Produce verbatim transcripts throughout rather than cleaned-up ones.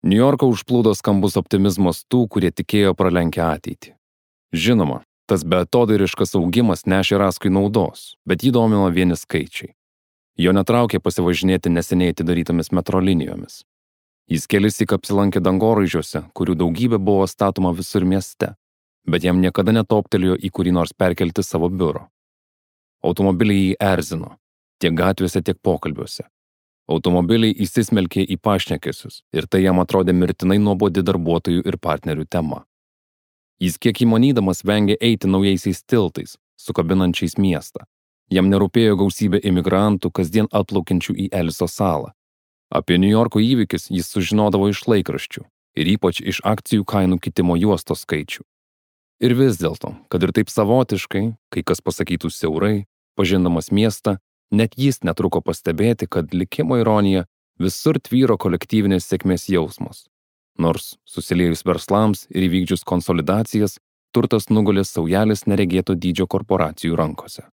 Niujorką užplūdo skambus optimizmas tų, kurie tikėjo pralenkę ateitį. Žinoma, tas beatodairiškas augimas nešė Raskui naudos, bet jį domino vieni skaičiai. Jo netraukė pasivažinėti neseniai atidarytomis metro linijomis. Jis kelissyk apsilankė dangoraižiuose, kurių daugybė buvo statoma visur mieste, bet jam niekada netoptelėjo į kurį nors perkelti savo biuro. Automobiliai jį erzino, tiek gatvėse, tiek pokalbiuose. Automobiliai įsismelkė į pašnekesius ir tai jam atrodė mirtinai nuobodi darbuotojų ir partnerių tema. Jis kiek įmanydamas vengė eiti naujaisiais tiltais, sukabinančiais miestą. Jam nerūpėjo gausybė imigrantų, kasdien atplaukiančių į Eliso salą. Apie Niujorko įvykius jis sužinodavo iš laikraščių ir ypač iš akcijų kainų kitimo juostos skaičių. Ir vis dėlto, kad ir taip savotiškai, kai kas pasakytų siaurai, pažindamas miestą, net jis netruko pastebėti, kad likimo ironija visur tvyro kolektyvinės sėkmės jausmas. Nors, susiliejus verslams ir įvykdžius konsolidacijas, turtas nugulė saujelės neregėto dydžio korporacijų rankose.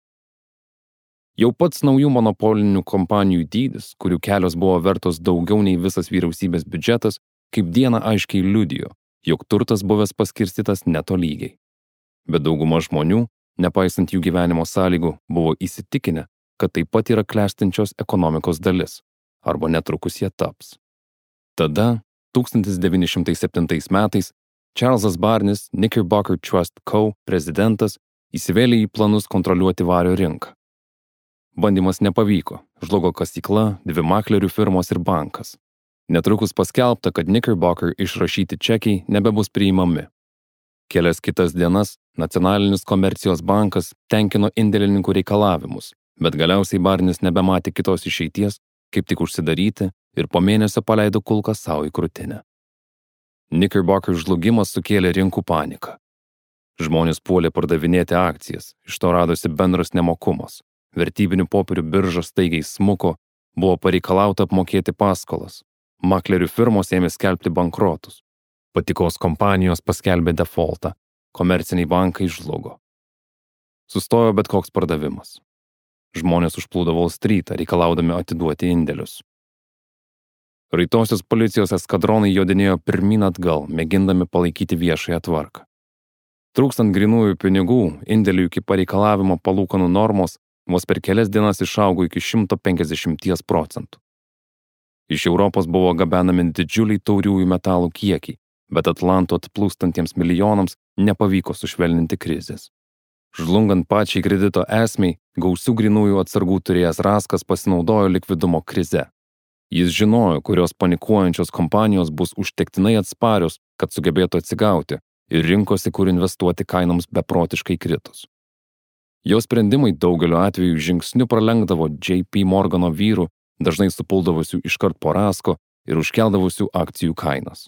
Jau pats naujų monopolinių kompanijų dydis, kurių kelios buvo vertos daugiau nei visas vyriausybės biudžetas, kaip dieną aiškiai liudijo, jog turtas buvęs paskirstytas netolygiai. Bet dauguma žmonių, nepaisant jų gyvenimo sąlygų, buvo įsitikinę, kad taip pat yra klestinčios ekonomikos dalis, arba netrukus jie taps. Tada, tūkstantis devyni šimtai septintais metais, Čarlzas Barnis, Knickerbocker Trust Co. prezidentas, įsivėlė į planus kontroliuoti vario rinką. Bandymas nepavyko, žlugo kasykla, dvi maklerių firmos ir bankas. Netrukus paskelbta, kad Knickerbocker išrašyti čekiai nebebus priimami. Kelias kitas dienas Nacionalinis komercijos bankas tenkino indėlininkų reikalavimus, bet galiausiai Barnis nebematė kitos išeities, kaip tik užsidaryti ir po mėnesio paleido kulką savo į krūtinę. Knickerbocker žlugimas sukėlė rinkų paniką. Žmonės puolė pardavinėti akcijas, iš to radosi bendras nemokumas. Vertybinių popierių birža staigiai smuko, buvo pareikalauta apmokėti paskolas. Maklerių firmos ėmė skelbti bankrotus. Patikos kompanijos paskelbė defaultą, komerciniai bankai žlugo. Sustojo bet koks pardavimas. Žmonės užplūdo Wall Streetą, reikalaudami atiduoti indėlius. Raitosios policijos eskadronai jodinėjo pirmyn atgal, mėgindami palaikyti viešąją tvarką. Trūkstant grynųjų pinigų, indėlių iki pareikalavimo palūkanų normos vos per kelias dienas išaugo iki šimto penkiasdešimties procentų. Iš Europos buvo gabenami didžiuliai tauriųjų metalų kiekiai, bet Atlanto atplūstantiems milijonams nepavyko sušvelninti krizės. Žlungant pačiai kredito esmei, gausių grynųjų atsargų turėjęs Raskas pasinaudojo likvidumo krize. Jis žinojo, kurios panikuojančios kompanijos bus užtektinai atsparios, kad sugebėtų atsigauti ir rinkosi, kur investuoti kainoms beprotiškai kritus. Jo sprendimai daugeliu atveju žingsniu pralenkdavo J P Morgano vyrų, dažnai supuldavusių iškart po Rasko ir užkeldavusių akcijų kainas.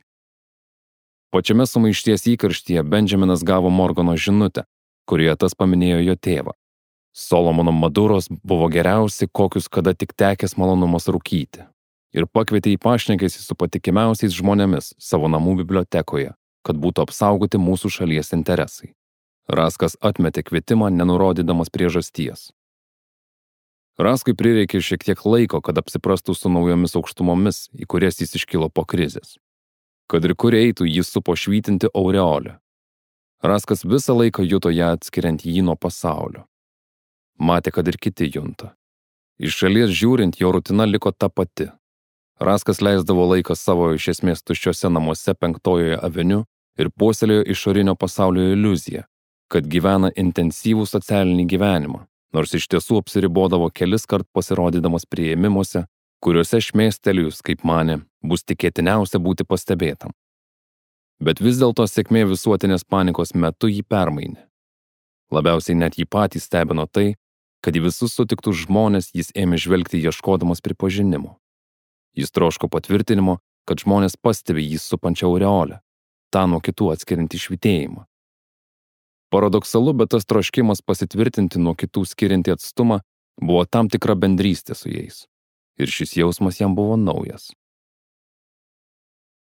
Pačiame sumaišties įkarštyje Benjaminas gavo Morgano žinutę, kurioje tas paminėjo jo tėvą. Solomono Maduros buvo geriausi, kokius kada tik tekęs malonumas rūkyti, ir pakvietė į pašnekesį su patikimiausiais žmonėmis savo namų bibliotekoje, kad būtų apsaugoti mūsų šalies interesai. Raskas atmetė kvietimą, nenurodydamas priežasties. Raskui prireikė šiek tiek laiko, kad apsiprastų su naujomis aukštumomis, į kurias jis iškilo po krizės. Kad ir kur eitų, jis supo švytinti aureolę. Raskas visą laiką juto ją atskiriant jį nuo pasaulio. Matė, kad ir kiti junta. Iš šalies žiūrint, jo rutina liko ta pati. Raskas leisdavo laiką savo iš esmės tuščiuose namuose Penktojoje aveniu ir puoselėjo išorinio pasaulio iliuziją, kad gyvena intensyvų socialinį gyvenimą, nors iš tiesų apsiribodavo kelis kart pasirodydamas priėmimuose, kuriuose šmėstelijus, kaip manė, bus tikėtiniausia būti pastebėtam. Bet vis dėlto sėkmė visuotinės panikos metu jį permainė. Labiausiai net jį patį stebino tai, kad į visus sutiktus žmonės jis ėmė žvelgti ieškodamas pripažinimo. Jis troško patvirtinimo, kad žmonės pastebi jį supančią aureolę, tą nuo kitų atskiriantį švytėjimą. Paradoksalu, bet tas troškimas pasitvirtinti nuo kitų skiriantį atstumą buvo tam tikra bendrystė su jais. Ir šis jausmas jam buvo naujas.